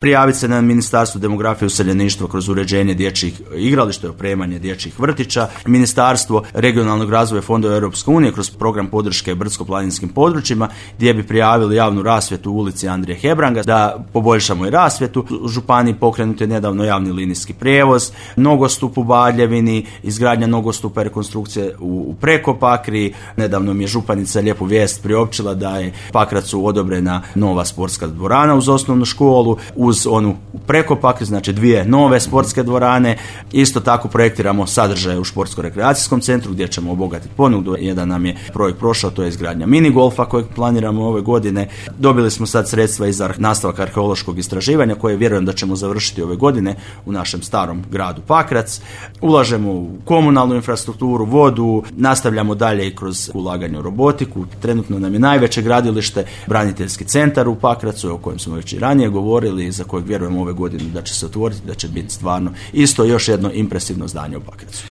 prijaviti se na Ministarstvo demografije i useljeništva kroz uređenje dječjih igrališta i opremanje dječjih vrtića, Ministarstvo regionalnog razvoja fondova Europske unije kroz program podrške brdsko-planinskim područjima gdje bi prijavili javnu rasvjetu u ulici Andrije Hebranga da poboljšamo i rasvjetu. U županiji pokrenut je nedavno javni linijski prijevoz, nogostup u Baljevini, izgradnja nogostupa i rekonstrukcije u Prekopakri. Nedavno mi je županica lijepu vijest priopćila da je Pakracu odobrena nova sportska dvorana uz osnovnu školu, uz onu Prekopakri, znači 2 nove sportske dvorane. Isto tako projektiramo sadržaje u športsko-rekreacijskom centru gdje ćemo obogatiti ponudu. Jedan nam je projekt prošao, to je izgradnja mini golfa kojeg planiramo ove godine. Dobili smo sad sredstva i za nastavak arheološkog istraživanja koje vjerujem da ćemo završiti ove godine u našem starom gradu Pakrac. Ulažemo u komunalnu infrastrukturu, vodu, nastavljamo dalje i kroz ulaganje u robotiku. Trenutno nam je najveće gradilište braniteljski centar u Pakracu o kojem smo već i ranije govorili, za kojeg vjerujemo ove godine da će se otvoriti, da će biti stvarno isto još jedno impresivno zdanje u Pakracu.